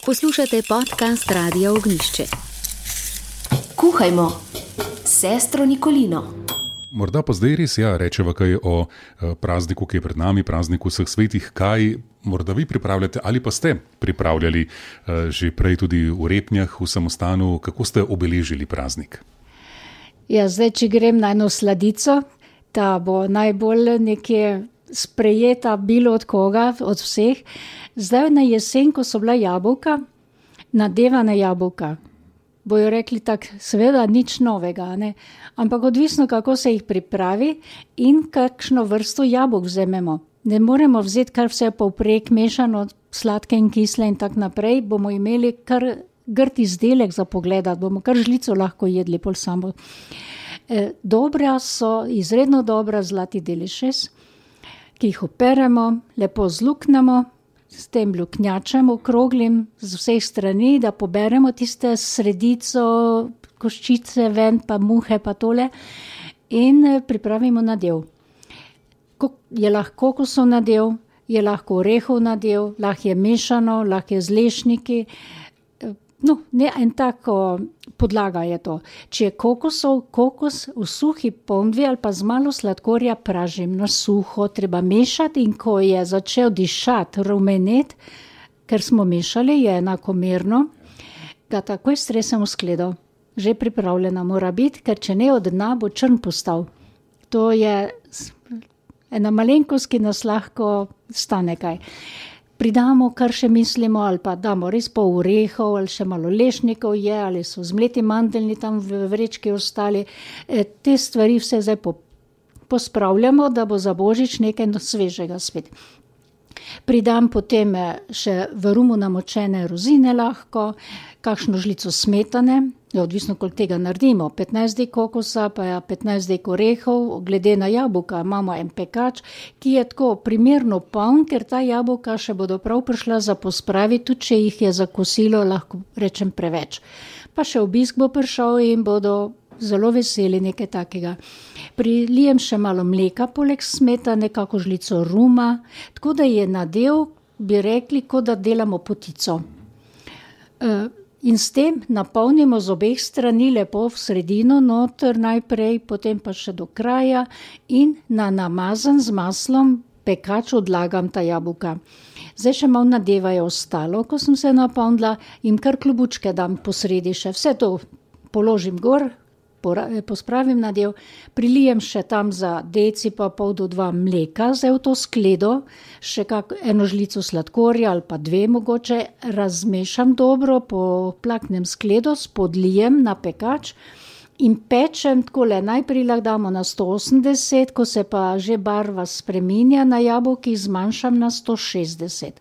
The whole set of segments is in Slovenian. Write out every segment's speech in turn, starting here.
Poslušate podcast Radia Ognjišče. Kuhajmo, sestro Nikolino. Morda pa zdaj res rečeva kaj o prazniku, ki je pred nami, prazniku vseh svetih. Kaj morda vi pripravljate ali pa ste pripravljali že prej tudi v Repnjah, v samostanu? Kako ste obeležili praznik? Zdaj, če grem na eno sladico, ta bo najbolj nekje sprejeta bilo od koga, od vseh. Zdaj na jesen, ko so bila jabolka, nadevana jabolka, bojo rekli tako, seveda nič novega, ne? Ampak odvisno, kako se jih pripravi in kakšno vrsto jabolk vzememo. Ne moremo vzeti kar vse povprek mešano, sladke in kisle in tak naprej, bomo imeli kar grd izdelek za pogledati, bomo kar žlico lahko jedli pol samo. Dobra so, izredno dobra zlati delišes, ki jih operemo, lepo zluknemo, s tem luknjačem okroglim z vseh strani, da poberemo tiste sredico, koščice ven, pa muhe, pa tole in pripravimo nadev. Je lahko kokosov nadev, je lahko orehov nadev, lahko je mešano, lahko je z lešniki. En tako podlaga je to. Če je kokos v suhi ponvi ali pa z malo sladkorja pražim na suho, treba mešati in ko je začel dišati, rumenet, ker smo mešali, je enakomerno, ga takoj stresem v skledo. Že pripravljena mora biti, ker če ne od dna, bo črn postal. To je ena malenkost, ki nas lahko stane kaj. Pridamo, kar še mislimo, ali pa damo res pol orehov, ali še malo lešnikov je, ali so zmleti mandeljni tam v vrečki ostali. Te stvari vse zdaj pospravljamo, da bo za Božič nekaj svežega spet. Pridam potem še v rumu namočene rozine lahko, kakšno žlico smetane, odvisno koliko tega naredimo, 15 dek kokosa, pa 15 dek orehov, glede na jabolka imamo en pekač, ki je tako primerno poln, ker ta jabolka še bodo prav prišla za pospraviti, tudi če jih je za kosilo, lahko rečem preveč. Pa še obisk bo prišel in bodo zelo veseli nekaj takega. Prilijem še malo mleka, poleg smetane, kako žlico ruma, tako da je nadev, bi rekli, kot da delamo potico. In s tem napolnimo z obeh strani lepo v sredino noter najprej, potem pa še do kraja in na namazan z maslom pekač odlagam ta jabolka. Zdaj še malo nadeva je ostalo, ko sem se napolnila in kar klobučke dam posredi še. Vse to položim gor, pospravim nadev, prilijem še tam za deci pa pol do 2 mleka, zdaj v to skledo, še eno žlico sladkorja ali pa 2 mogoče, razmešam dobro, poplaknem skledo, spodlijem na pekač in pečem takole, najprej lahko damo na 180, ko se pa že barva spreminja na jabolki, zmanjšam na 160.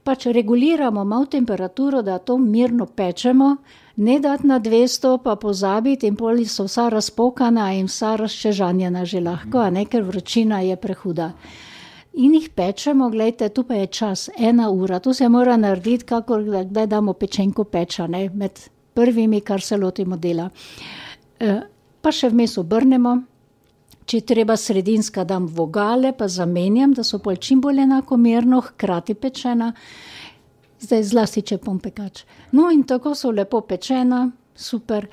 Pač reguliramo malo temperaturo, da to mirno pečemo, ne dati na 200, pa pozabiti in poli so vsa razpokana in vsa razčežanjena že lahko, ker vročina je prehuda. In jih pečemo, gledajte, tu pa je čas, 1 ura, to se mora narediti, kakor kdaj damo pečenko peča, med prvimi, kar se lotimo dela. Pa še vmes obrnemo, če treba sredinska dam vogale, pa zamenjam, da so pol čim bolj enakomerno, hkrati pečena. Zdaj zlasti, če pom pekač. No in tako so lepo pečena, super.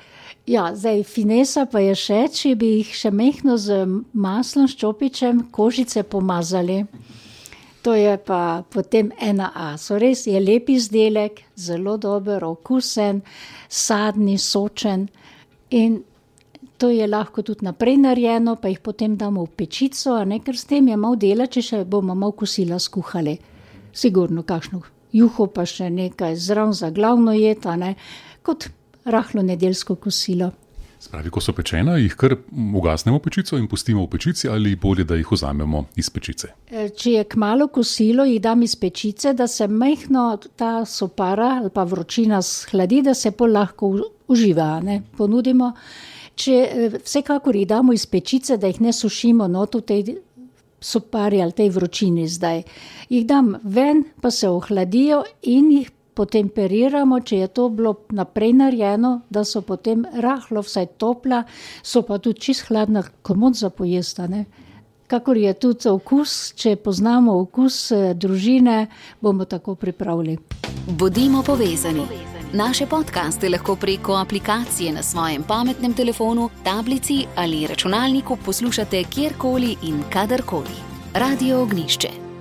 Zdaj finesa pa je še, če bi jih še mehno z maslom, s čopičem, kožice pomazali. To je pa potem 1A. So res je lep izdelek, zelo dober, okusen, sadni, sočen in to je lahko tudi naprej narejeno, pa jih potem damo v pečico, ker s tem je malo dela, če še bomo malo kosila skuhali. Sigurno kakšno juho pa še nekaj zraven za glavno jed, kot rahlo nedeljsko kosilo. Spravi, ko so pečena, jih kar ugasnemo pečico in pustimo v pečici ali bolje, da jih vzamemo iz pečice? Če je kmalu kosilo, jih dam iz pečice, da se majhno ta sopara ali pa vročina shladi, da se pol lahko uživa, ponudimo. Vsekakor jih damo iz pečice, da jih ne sušimo not v tej sopari ali tej vročini zdaj. Jih dam ven, pa se ohladijo in jih potemperiramo, če je to bilo naprej narejeno, da so potem rahlo vsaj topla, so pa tudi čist hladna, komot za pojesta, Kakor je tudi okus, če poznamo okus družine, bomo tako pripravili. Bodimo povezani. Naše podcaste lahko preko aplikacije na svojem pametnem telefonu, tablici ali računalniku poslušate kjerkoli in kadarkoli. Radio Ognišče.